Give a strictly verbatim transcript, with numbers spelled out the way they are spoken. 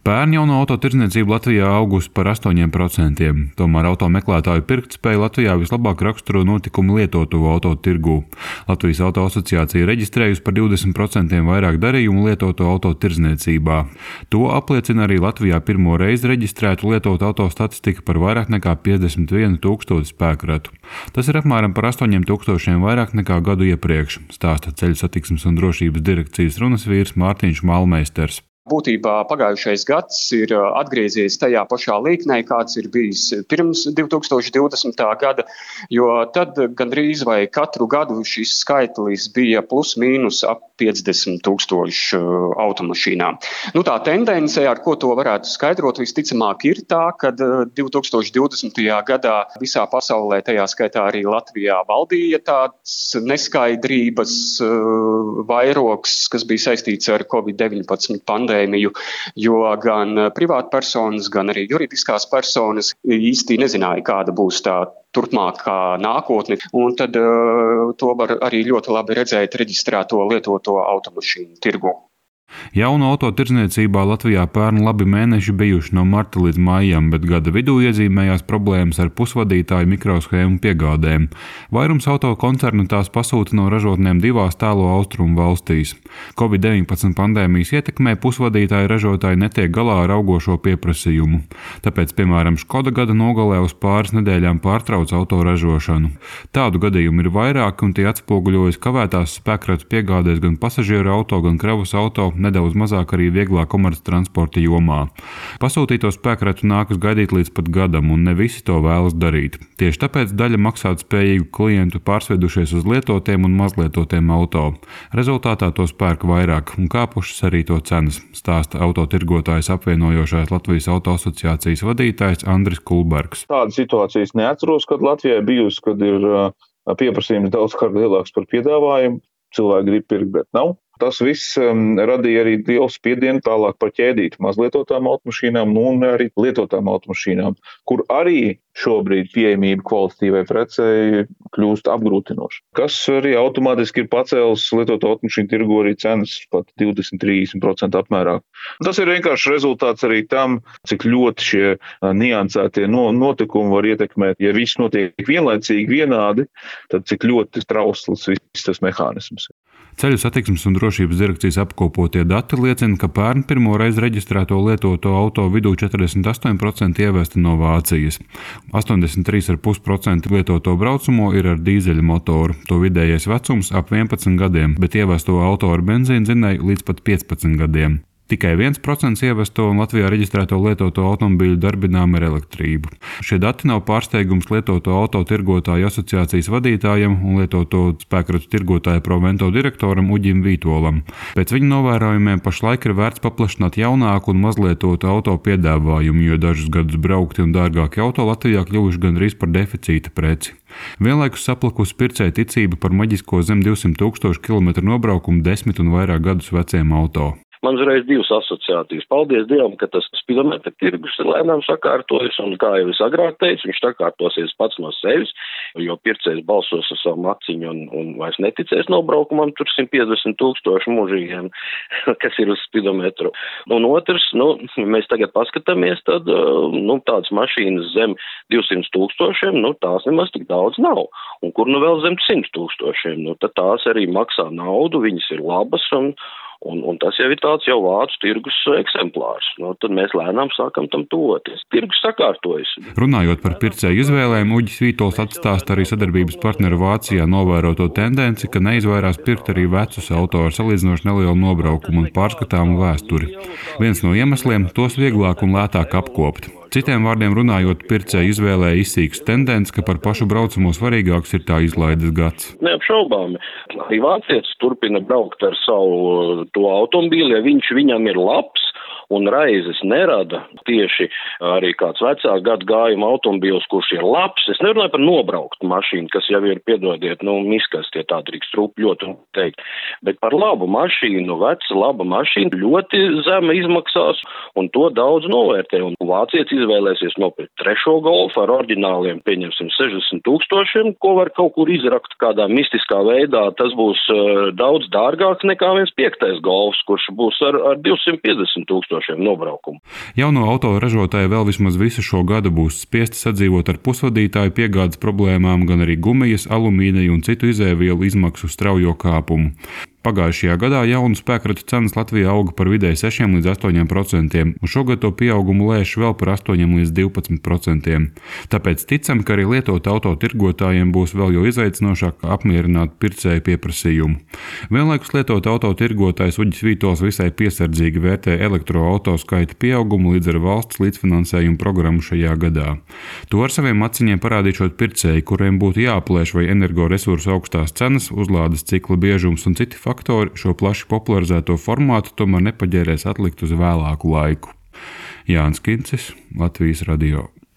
Pērn jauno auto tirdzniecība Latvijā augusi par astoņiem procentiem, tomēr auto meklētāju pirktspēju Latvijā vislabāk raksturo notikumi lietoto auto tirgū. Latvijas auto asociācija reģistrējusi par divdesmit procentiem vairāk darījumu lietoto auto tirdzniecībā. To apliecina arī Latvijā pirmo reizi reģistrētu lietotu auto statistika par vairāk nekā piecdesmit vienu tūkstošu spēkratu. Tas ir apmēram par astoņiem tūkstošiem vairāk nekā gadu iepriekš, stāsta Ceļu satiksmes un drošības direkcijas runasvīrs Mārtiņš Malmeisters. Būtībā pagājušais gads ir atgriezies tajā pašā līknē, kāds ir bijis pirms divi tūkstoši divdesmitā gada, jo tad gandrīz vai katru gadu šis skaitlis bija plus mīnus ap piecdesmit tūkstoši automašīnām. Nu, tā tendence, ar ko to varētu skaidrot, visticamāk ir tā, ka divi tūkstoši divdesmitajā gadā visā pasaulē, tajā skaitā arī Latvijā, valdīja tāds neskaidrības vairogs, kas bija saistīts ar covid deviņpadsmit pandēmiju. Jo gan privātpersonas, gan arī juridiskās personas īsti nezināja, kāda būs tā turpmākā nākotne, un tad uh, to var arī ļoti labi redzēt reģistrēto lietoto automašīnu tirgu. Jaunu auto tirdzniecībā Latvijā pērn labi mēneši bijuši no marta līdz maijam, bet gada vidū iezīmējās problēmas ar pusvadītāju mikroshēmu piegādēm. Vairums auto koncernu tās pasūta no ražotnēm divās tālo austrumu valstīs. covid deviņpadsmit pandēmijas ietekmē pusvadītāju ražotāji netiek galā ar augošo pieprasījumu. Tāpēc, piemēram, Škoda gada nogalē uz pāris nedēļām pārtrauc auto ražošanu. Tādu gadījumu ir vairāki, un tie atspoguļojas kavētās spēkratu piegādēs gan pasažieru auto, gan kravas auto, nedaudz mazāk arī vieglā komerctransporta jomā. Pasūtīto spēkratu nākas gaidīt līdz pat gadam, un ne visi to vēlas darīt. Tieši tāpēc daļa maksātspējīgu klientu pārsvedušies uz lietotiem un mazlietotiem auto. Rezultātā to pērk vairāk, un kāpušas arī to cenas, stāsta autotirgotājs apvienojošās Latvijas auto asociācijas vadītājs Andris Kulbergs. Tāda situācijas neatceros, kad Latvijā bijusi, kad ir pieprasījums daudzkārt lielāks par piedāvājumu, cilvēki grib pirkt, bet nav. Tas viss um, radīja arī lielu spiedienu tālāk par ķēdīti mazlietotām automašīnām un arī lietotām automašīnām, kur arī šobrīd pieejamība kvalitatīvai precei kļūst apgrūtinoša. Kas arī automātiski ir pacēlis lietoto automašīnu tirgu arī cenas pat divdesmit līdz trīsdesmit procenti apmērā. Tas ir vienkārši rezultāts arī tam, cik ļoti šie niansētie notikumi var ietekmēt. Ja viss notiek vienlaicīgi vienādi, tad cik ļoti trausls viss tas mehānisms. Ceļu satiksmes un drošības direkcijas apkopotie dati liecina, ka pērn pirmo reizi reģistrēto lietoto auto vidū četrdesmit astoņi procenti ievesti no Vācijas. astoņdesmit trīs komats pieci procenti lietoto braucamo ir ar dīzeļa motoru. To vidējais vecums ap vienpadsmit gadiem, bet ievesto auto ar benzīna dzinēju līdz pat piecpadsmit gadiem. Tikai viens procents ievesto un Latvijā reģistrēto lietoto automobīļu darbinām ar elektrību. Šie dati nav pārsteigums lietoto auto tirgotāju asociācijas vadītājam un lietoto spēkratu tirgotāju Provento direktoram Uģim Vītolam. Pēc viņa novērojumiem pašlaik ir vērts paplašināt jaunāku un mazlietotu auto piedāvājumu, jo dažus gadus braukti un dārgāki auto Latvijā kļuvuši gandrīz par deficīta preci. Vienlaikus saplakusi pircēja ticība par maģisko zem divsimt tūkstošu kilometru nobraukumu desmit un vairāk gadus veciem auto. Man uzreiz divas asociācijas. Paldies Dievam, ka tas spidometra tirgus ir lēnām sakārtojas, un kā jau es agrāk teicu, viņš sakārtosies pats no sevis, jo pircējs balsos ar savu maciņu un, un vairs neticēs nobraukumam, tur simt piecdesmit tūkstoši mūžīgiem, kas ir uz spidometru. Un otrs, nu, mēs tagad paskatāmies, tad, nu, tādas mašīnas zem divsimt tūkstošiem, nu, tās nemaz tik daudz nav. Un kur nu vēl zem simt tūkstošiem, nu, tad tās arī maksā naudu, viņas ir labas, un Un, un tas jau ir tāds jau vācu tirgus eksemplārs. Nu, tad mēs lēnām sākam tam tuvoties. Tirgus sakārtojas. Runājot par pircēju izvēlēm, Uģis Vītols atstāsta arī sadarbības partneru Vācijā novēroto tendenci, ka neizvairās pirkt arī vecus auto ar salīdzinoši nelielu nobraukumu un pārskatāmu vēsturi. Viens no iemesliem - tos vieglāk un lētāk apkopt. Citiem vārdiem runājot, pircēju izvēlē izsīks tendence, ka par pašu braucamo svarīgāks ir tā izlaides gads. Neapšaubāmi. Arī vācietis turpina braukt ar savu to automobīli, ja viņš viņam ir labs un raizes nerada tieši arī kāds vecā gadu gājuma automobīls, kurš ir labs. Es nerunāju par nobrauktu mašīnu, kas jau ir, piedodiet, nu, miskas, tie tā drīkst rūpļot un teikt, bet par labu mašīnu, veca laba mašīna ļoti zema izmaksās, un to daudz novērtē. Un vācietis izvēlēsies nopirkt trešo golfu ar oriģināliem, pieņemsim, sešdesmit tūkstošiem, ko var kaut kur izrakt kādā mistiskā veidā. Tas būs uh, daudz dārgāks nekā viens piektais golfs, kurš būs ar, ar divsimt piecdesmit tūkstošiem tūkstošiem nobraukumu. Jauno auto ražotāji vēl vismaz visu šo gadu būs spiesti sadzīvot ar pusvadītāju piegādes problēmām, gan arī gumijas, alumīnija un citu izēvielu izmaksu straujo kāpumu. Pagājušajā gadā jaunu spēkratu cenas Latvijā auga par vidēji sešiem līdz astoņiem procentiem, un šogad to pieaugumu lēš vēl par astoņiem līdz divpadsmit procentiem. Tāpēc ticam, ka arī lietot auto tirgotājiem būs vēl jo izaicinošāk apmierināt pircēju pieprasījumu. Vienlaikus lietot auto tirgotājs Uģis Vītols visai piesardzīgi vērtē elektroauto skaita pieaugumu līdz ar valsts līdzfinansējumu programmu šajā gadā. To ar saviem aciņiem parādīšot pircēji, kuriem būtu jāaplēš vai energoresursu augstās cenas, uzlādes cikla biežums un citi faktori šo plaši popularizēto formātu tomēr nepaģērēs atlikt uz vēlāku laiku. Jānis Kincis, Latvijas radio.